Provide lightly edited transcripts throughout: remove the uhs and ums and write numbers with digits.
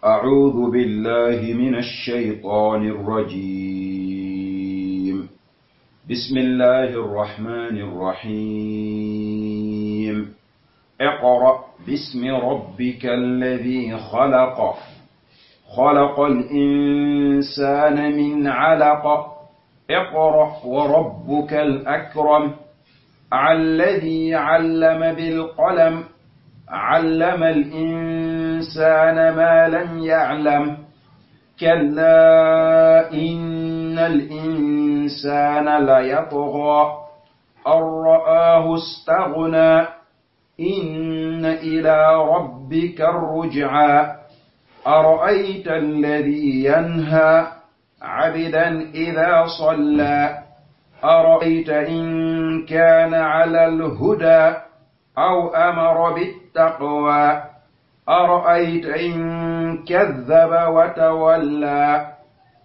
أعوذ بالله من الشيطان الرجيم. بسم الله الرحمن الرحيم. اقرأ باسم ربك الذي خلق. خلق الإنسان من علق. اقرأ وربك الأكرم. الذي علم بالقلم. علم الإنسان ما لم يعلم. كلا إن الإنسان ليطغى أن رآه استغنى. إن إلى ربك الرجعى. أرأيت الذي ينهى عبدا إذا صلى. أرأيت إن كان على الهدى أو أمر بالتقوى. أرأيت إن كذب وتولى.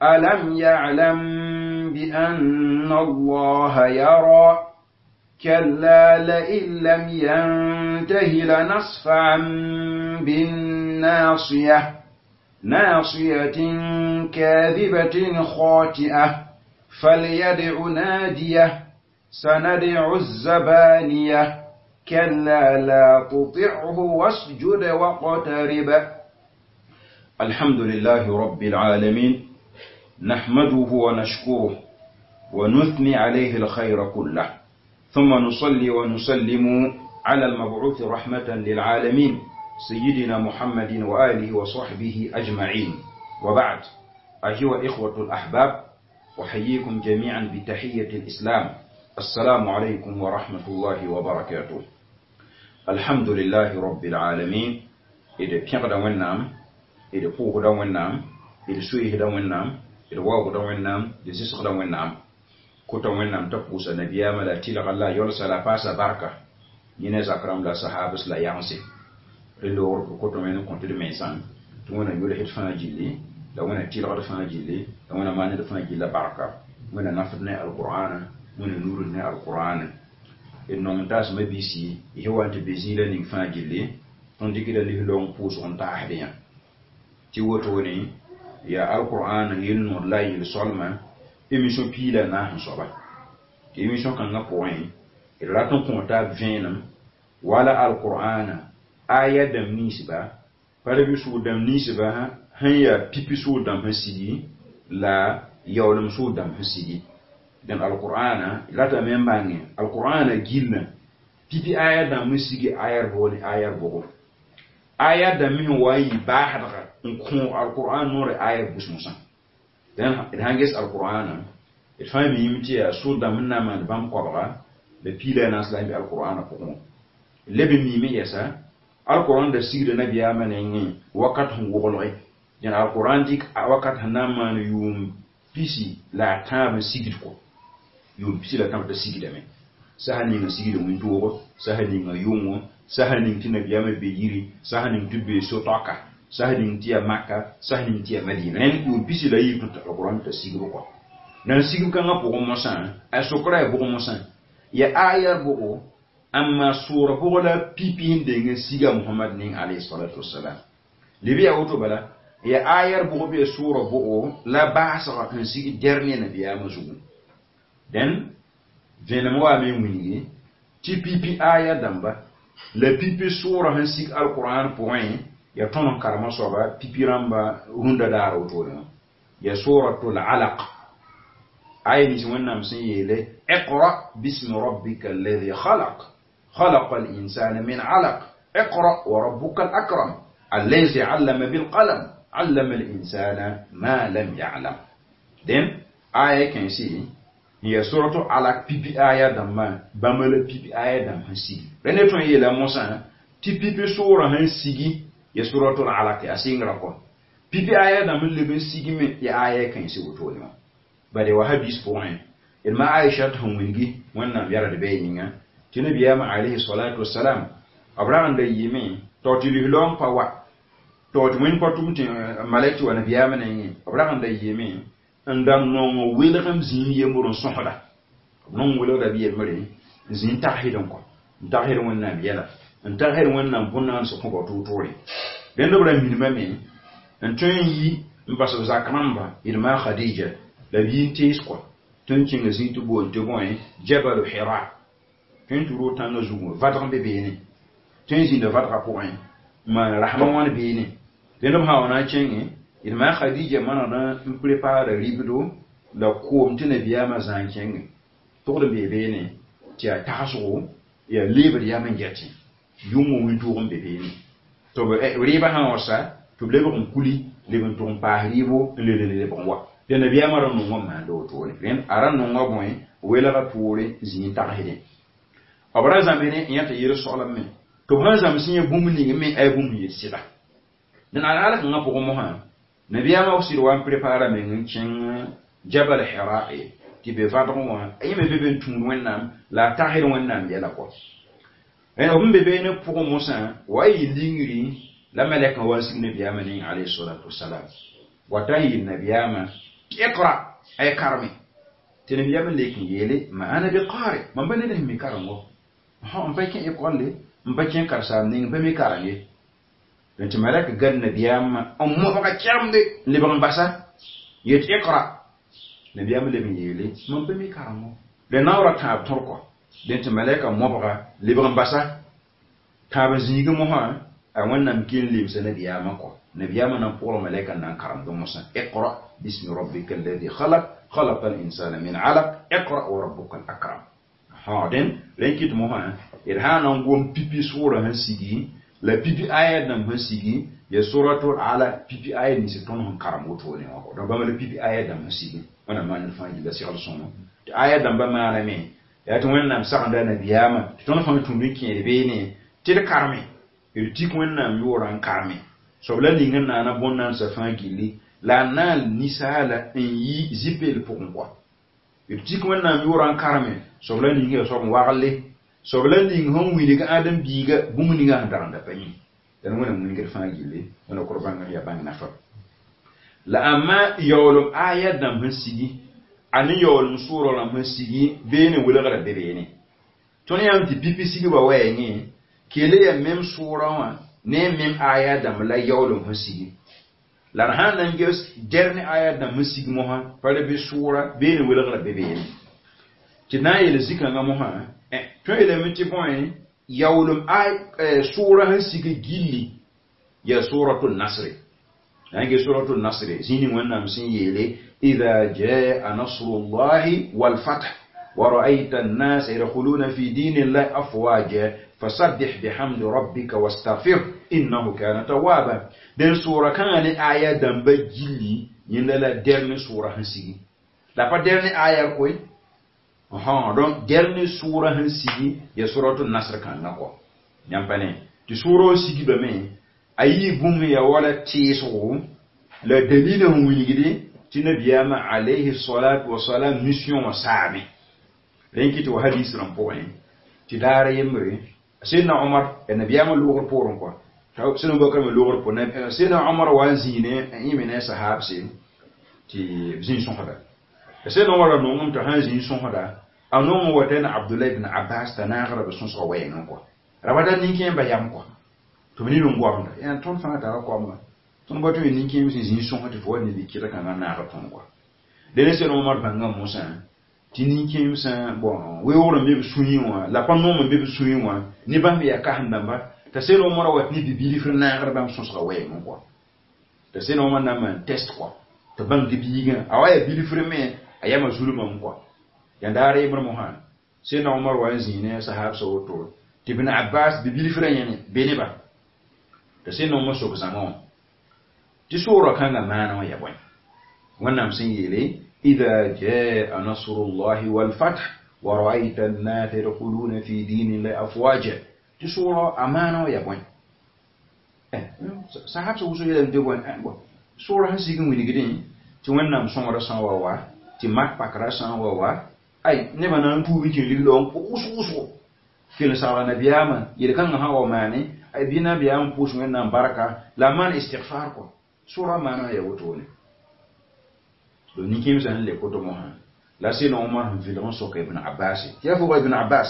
ألم يعلم بأن الله يرى. كلا لئن لم ينته لنصفعا بالناصية. ناصية كاذبة خاطئة. فليدع ناديه. سندع الزبانية. كلا لا تطعه واسجد واقترب. الحمد لله رب العالمين، نحمده ونشكره ونثني عليه الخير كله، ثم نصلي ونسلم على المبعوث رحمة للعالمين سيدنا محمد وآله وصحبه أجمعين. وبعد، أيها إخوة الأحباب، أحييكم جميعا بتحية الإسلام. السلام عليكم ورحمة الله وبركاته. الحمد لله رب العالمين. إذا بيغدا ونام، إذا بوغدا ونام، إذا سويهدا ونام، إذا واغدا ونام، إذا سيسغدا ونام. كوتا ونام تقوس النبي ما لا تلغ الله يولس على فاس بركة. ينزا كرام لا صحابس لا يانسي. رلور كوتا ونام كنت دميسان. تونا يولي هدفنا جيلي، لا ونا تلغ دفنا جيلي، لا ونا ماني دفنا جيلا بركة. ونا نفدنا القرآن، ونا نورنا القرآن. إنه تاس ما بيسي هو أنت بيزيلا نين فاجلي تندي كده ليه لون بوس أنت أحديا تيوتوني يا القرآن ينور لا يلسلما إمشون بيلا ناه صبا إمشون كان نقوين إلا تكون فينم ولا القرآن آية دم نسبة فلبسو دم نسبة هي بيبسو دم هسيدي لا يولم سو دم هسيدي. Dan alqur'ana lata men bange alqur'ana gilna pipi aya da musigi ayar boli ayar bogo aya da min wayi bahadga ko alqur'an nore ayar busmusa dan hanges alqur'ana il fami yimti ya so da minna man bam qobra be pila nas la bi alqur'ana ko lebe mi mi yesa alqur'an da sigde nabiya manengi wakat hun wogoloi dan alqur'an dik wakat hanama yum pisi la tam sigid ko yum pisi la tam ta sigida me sahani nga sigida mun tuwo sahani nga yungo sahani ti nabiyama be yiri sahani ti be sotoka sahani ti ya Makka sahani ti ya Madina en yum pisi la yi to alquran ta sigido ko nan sigido kan ko mo san a sokra e bo mo san ya aya bo amma sura bo la pipi hinde nga siga Muhammad ning alayhi salatu wassalam libiya woto bala ya ayar bo be sura bo la baasa kan sigi dernier nabiyama zugu den venam wa me wingi ti pipi aya damba la pipi sura han sig alquran point ya tonon karama soba pipi ramba runda daro to ya suratul alaq aya ni wonnam sin yele اقرأ باسم ربك الذي خلق خلق الإنسان من علق اقرأ وربك الأكرم الذي علم بالقلم علم الإنسان ما لم يعلم. Den aya kan si هي سورة على بي بي آية دم بامل بي بي آية دم هسيجي رني تون يلا موسى تي بي بي سورة هسيجي يا سورة على أسينغ ركون بي بي آية دم اللي بنسيجي من يا آية كان يسوي تولي بعد وهابيس بوين إلما عائشة هم وينجي وانا يرى دبينينا تنبي يا عليه الصلاة والسلام أبراهام ده يمين توتي لهم فوا توتي وين كتوم ملك وانا بيامنين أبراهام ده يمين n da nongo welgem zĩig yembr n sõsda b nong welgda bɩ yembre zĩig tagsd n kɔ n tagsd wẽnnaam yɛla n tagsd wẽnnaam bõn-naans kõ bao tʋʋ-tʋʋre rẽnd b ra minimame N tõe n yi n bas b zak rãmba d ma Khadija la b yi n tees kɔa tõe n kẽnga zĩig tɩ boond tɩ bõe Jabalu Hira tõe n tɩ roog tãngã zugu vadg n be beene tõe n zĩnda vadgã pʋgẽ n maan rasmã wãn beene dẽnd b sã wa na n kẽngẽ d ma Khadija manegd n prepaara ribdo la koom tɩ nabiyaamã zã n kẽngẽ togd n bee beene tɩ yaa tagsgo yaa leebd yam n gɛtẽ yʋngã wĩntoog n be beene tɩ b rɩɩbã sã n wa sa tɩ b lebg n kuli leb n tʋg n paas rɩɩbo n le lebg n wa tɩ nabiyaamã ra nongã n maanda wotone rẽnd a ra nonga bõe welgã poore zĩig n tagsdẽ b ra zãmsdẽ n yã tɩ yel soglem me tɩ b sãn zãms yẽ bũmb ning me a yaa bũmb n yet sɩda dẽn alaala kãngã pʋgẽ mosã nabiyaamã sɩd wa n prepara meng n kẽng Jabal Hira tɩ be vadg wã yẽ me be be n tũud Wẽnnaam la a tagsd Wẽnnaam yɛla kɔ b n be beene pʋgẽ mosã wa yɩ lingri la malɛkã wa n sig nabiyaamã ning alayhi salatu wasalam wata n yeel nabiyaamã tɩ iqra ay karme tɩ nabiyaamã lek n yeele ma ana bi qari mam pa ned sẽn mi karengo n pa kẽ école n pa kẽ karsaam ning n pa mi kareng ye tɩ malɛk gad nabiyaamã n mobga kɛgemde n lebg n basa yet iqra nabiyaamã leb n yeele mam pa mi karengo la naoora tãab tõr kɔ dẽn tɩ malɛka mobga lebg n basa tãab n zĩigẽ mosã a Wẽnnaam ken lemsa nabiyaamã kɔ nabiyaamã na n pʋgl malɛka n na n karemd mosã iqra bismi rabbika alladhi khalaq khalaqa al-insana min alaq iqra wa rabbuka al-akram dẽn rẽn kɩt mosã d sã n na n gom pipi sʋʋrã sẽn sigi la pipi aya dãmb sẽn sigi ya suratul ala pipi aya nins tõnd sẽn karem wotone wã kɔ donc bãmb la pipi aya dãmb sẽn sigi wẽnnaam maan ned fãa gilla segl sõngo tɩ aya dãmbã maaname yaa tɩ Wẽnnaam sagenda nabiyaamã tɩ tõnd fãa tũud n kẽed beene tɩ d karme d tik Wẽnnaam yʋʋrã n karme soab la ning n naana bõn-nansã fãa gilli la a na n ninsaala n yi zipeel pʋgẽ kɔa d tik Wẽnnaam yʋʋrã n karme soab la ning yaa soab n wagle soab la ning sẽn wilg ãdem-biiga bũmb ninga sẽn dag n da pa yẽ dãn Wẽnnaam wingd fãa gilli wẽnna kor bãng yaa bãng nafa la ãmma yaoolem aya dãmb sẽn sigi a ne yaoolem sʋʋrã rãmb sẽn sigi beene welgrã be beene tõnd yãmb tɩ pipi sigba wɛɛngẽ kele ya mem sʋʋrã wã ne mem aya dãmb la yaoolem sẽn sigi la d sãn na n ges dernier aya dãmb sẽn sig mosã pa le bɩ sʋʋra beene welgrã be beene tɩ d na n yeel zĩ-kãngã mosã tõe yeelame tɩ bõe yaoolem sʋʋrã sẽn sig gilli yaa suratul nasre na n ges suratul nasre zĩig ning Wẽnnaam sẽn yeele إذا جاء نصر الله والفتح ورأيت الناس يدخلون في دين الله أفواجا فسبح بحمد ربك واستغفره إنه كان توابا den sura kãngã ne aya dãmba gilli yẽnda la dernier sura sẽn sigi la pa dernier aya koe donc dernier sura sẽn sigi ya suratul nasr kãngã kɔ yãmb pa ne tɩ sʋʋrã sigibame a yɩ bũmb ya wala tɩɩsgo la dalila sẽn wilgde tɩ nabiyaamã alayhi salatu wasalam mission wã saame rẽn kɩ tɩ wa hadis rãmb pʋgẽ tɩ daara yembre Seydina Omar ya nabiyaamã loogr poorẽ kɔa Seydina Abubakar me loogr poorẽ Seydina Omar wa n zĩig ne yẽ me ne a sahaabse tɩ b zĩig sõsda Seydina Omar ra nongame tɩ sãn zĩig sõsda a nong n wa t'a na Abdullah ibn Abbas t'a naagra b sõsga wɛɛngẽ kɔa ra pa tar nin-kẽemba yam kɔa tɩ b nin n goamda yaa tõnd fãa tara koamã tõnd pa tõe nin-kẽem sẽn zĩig sõsg tɩ fo wa neb kɩd kãngã naag tõnd kɔa dẽn Seydina Omar bãnga mosã tɩ nin-kẽemsã bon weoogr n be b sũyẽ wã la pa noom n be b sũyẽ wã ne bãmb yaa kasem-dãmba t'a Seydina Omar wat ne bibilfr naagr bãmb sõsga wɛɛngẽ kɔa t'a Seydina Omar na n maan test kɔa tɩ bãng tɩ biigã a wa yaa bilfr me a yama zulmame kɔa yaa daar yembr mosã Seydina Omar wa n zĩig ne a sahaabsã woto tɩ Ibn Abbas bibilfrã yẽne be neba t'a Seydina Omar sok zãma wã tɩ soorã kãngã maana wã yaa bõe Wẽnnaam sẽn yeele إذا جاء نصر الله والفتح ورأيت الناس يدخلون في دين الله أفواجا تسورة أمانة يا بوين sahab sã wʋsg yeelame tɩ bõe sʋʋrã sẽn sig n wilgdẽ tɩ Wẽnnaam sõngrã sã n wa wa tɩ mak pakrã sã n wa wa ay nebã na n tuub n kẽ ligl n wʋsg wʋsgo kell n sagla nabiyaamã yel-kãngã sã n wa maane ay bɩ nabiyaam pʋʋs Wẽnnaam barka la a maan istigfar kɔ sʋʋrã maana yaa wotone donc nin-kẽemsã sẽn le koto mosã la Seydina Omar sẽn vɩlg n sok Ibn Abbas tɩ yaa fo Ibn Abbas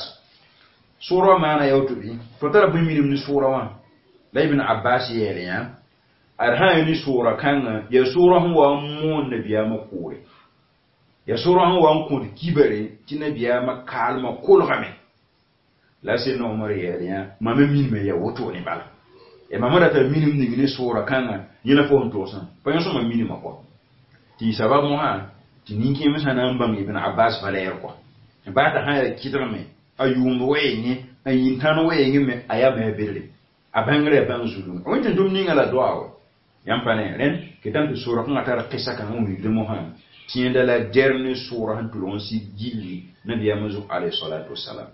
sʋʋrã maana yaa woto bɩ fo tara bũmb minim ne sʋʋrã wã la Ibn Abbas yeele yã Ad sã ne sʋʋra kãngã yaa sʋʋra sẽn wa n moon nabiyaamã kʋʋre, yaa sʋʋra sẽn wa n kõt kibare tɩ nabiyaamã kaalmã kolgame. La Sẽdna Omar yɛɛl yã mam me minime yaa wotone bala. Ya mam rata minim ning ne sʋʋra kãngã yẽ la fo sẽn togsã pa yõ sõma minimã kɔ tɩ sabab mosã tɩ nin-kẽemsã na n bãng Ibn Abbas valɛɛr kɔ baa t'a sã yaa kɩdgme a yʋʋmd wɛɛngẽ a yĩn-tãn wɛɛngẽ me a yaa me a bedre a bãngrã yaa bãng zulunga wẽn tɩ tʋm ninga la doa wa yãmb pa ne rẽnd ketame tɩ sʋʋra kãngã tar qɩsa kãngã wilgd mosã tɩ yẽnda la dernier sʋʋra sẽn tʋlg n sig gilli nabiyaamã zug alayhi salatu wasalam.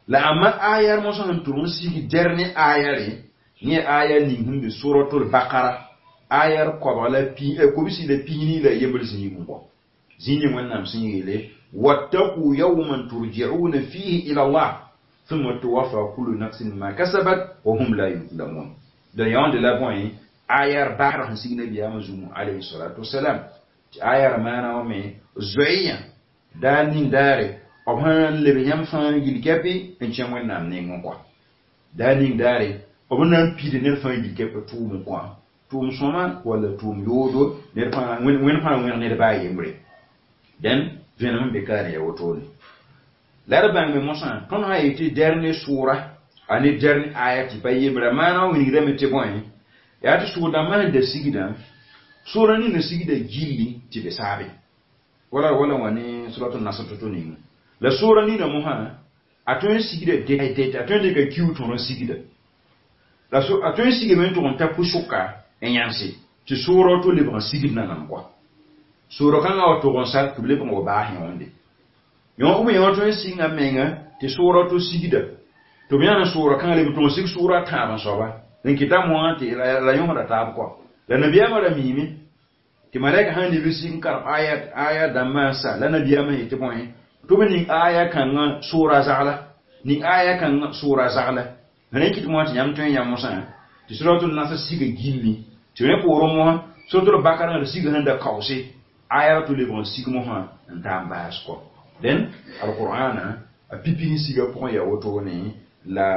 La amma ayar mosã sẽn tʋlg n sig dernier ayare yẽ aya ning sẽn be suratul Bakara ayar koabg la kobsi la pis la yembr zĩig n kɔ zĩig ning Wẽnnaam sẽn yeele wattaqu yawman turja'una fihi ila Allah thumma tuwaffa kullu nafsin ma kasabat wa hum la yuzlamun. Da yãonde la bõe ayar baasr sẽn sig nabiyaamã zũmu alayhi salatu wasalam tɩ ayar maana wã me zoeeyã daar ning daare b sãn leb yãmb fãa yil-kɛpɩ n kẽ Wẽnnaam nengẽ kɔa daar ning daare b na n pid ned fãa yil-kɛpɩ tʋʋm n kõ tʋʋm sõma walla tʋʋm yoodo ned fãa wẽnd fãa wẽg ned baa yembre dẽn vẽnem n be kaane ya wotone la d bãngme mosã tõnd sã yetɩ dernier sʋʋra a ne dernier aya tɩ pa yembra maana wã wilgdame tɩ bõe yaa tɩ sʋʋr-dãmbã sẽn da sigdã sʋʋra ninã sigda gilli tɩ be saabe wala wala wã ne suratul Nasr to-to ninga la sʋʋra nina mosã a tõe n sigda det a tõe n dɩka kiu tõr n sigda la a tõe n sigame n tʋg n ta pʋ-sʋka n yãmse tɩ sʋʋra to lebg n sigd nanam kɔa sʋʋra kãngã wa tʋg n sal tɩ b lebg n wa baas yõonde yõ b yõ tõe n sɩnga menga tɩ sʋʋra to sigda tɩ b yãna sʋʋra kãngã leb n tʋg n sig sʋʋra tãab n soaba n kɩta moã tɩ la yõsda taab kɔa la nabiyaamã ra miime tɩ malɛka sãn leb n sig n karem aya dãmbã n sa la nabiyaamã yetɩ bõe tɩ b ning aya kãngã sʋʋra zagla ning aya kãngã sʋʋra zagla rẽ kɩt moã tɩ yãmb tõe n yã mosã tɩ suratul Nasr siga gilli tɩ rẽ poorẽ mosã suratul Bakara d siga sẽn da kaoose aya tɩ lebg n sig mosã n taa n baas kɔ dẽn alqur'ana a pipi sẽn siga pʋgẽ yaa wotone la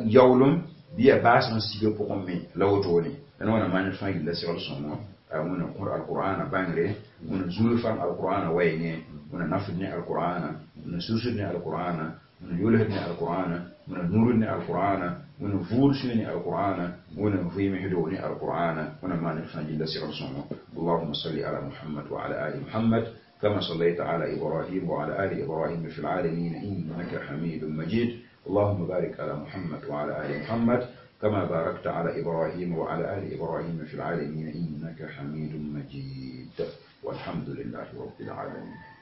yaoolem bɩ yaa baas sẽn siga pʋgẽ me la wotone dẽn wãna maan fãa gilla segl sõngo wẽna kõ alqur'ana bãngre wẽna zulg fam alqur'ana wɛɛngẽ wẽna nafd ne alqur'ana wẽna susd ne alqur'ana wẽna yolsd ne alqur'ana wẽna nurd ne alqur'ana wẽna vʋʋd sũy ne alqur'ana wẽna vɩɩmsdo ne alqur'ana wẽna maan fãa gilla segl sõngo. اللهم صل على محمد وعلى آل محمد كما صليت على إبراهيم وعلى آل إبراهيم في العالمين إنك حميد مجيد. اللهم بارك على محمد وعلى آل محمد كما باركت على إبراهيم وعلى آل إبراهيم في العالمين إنك حميد مجيد. والحمد لله رب العالمين.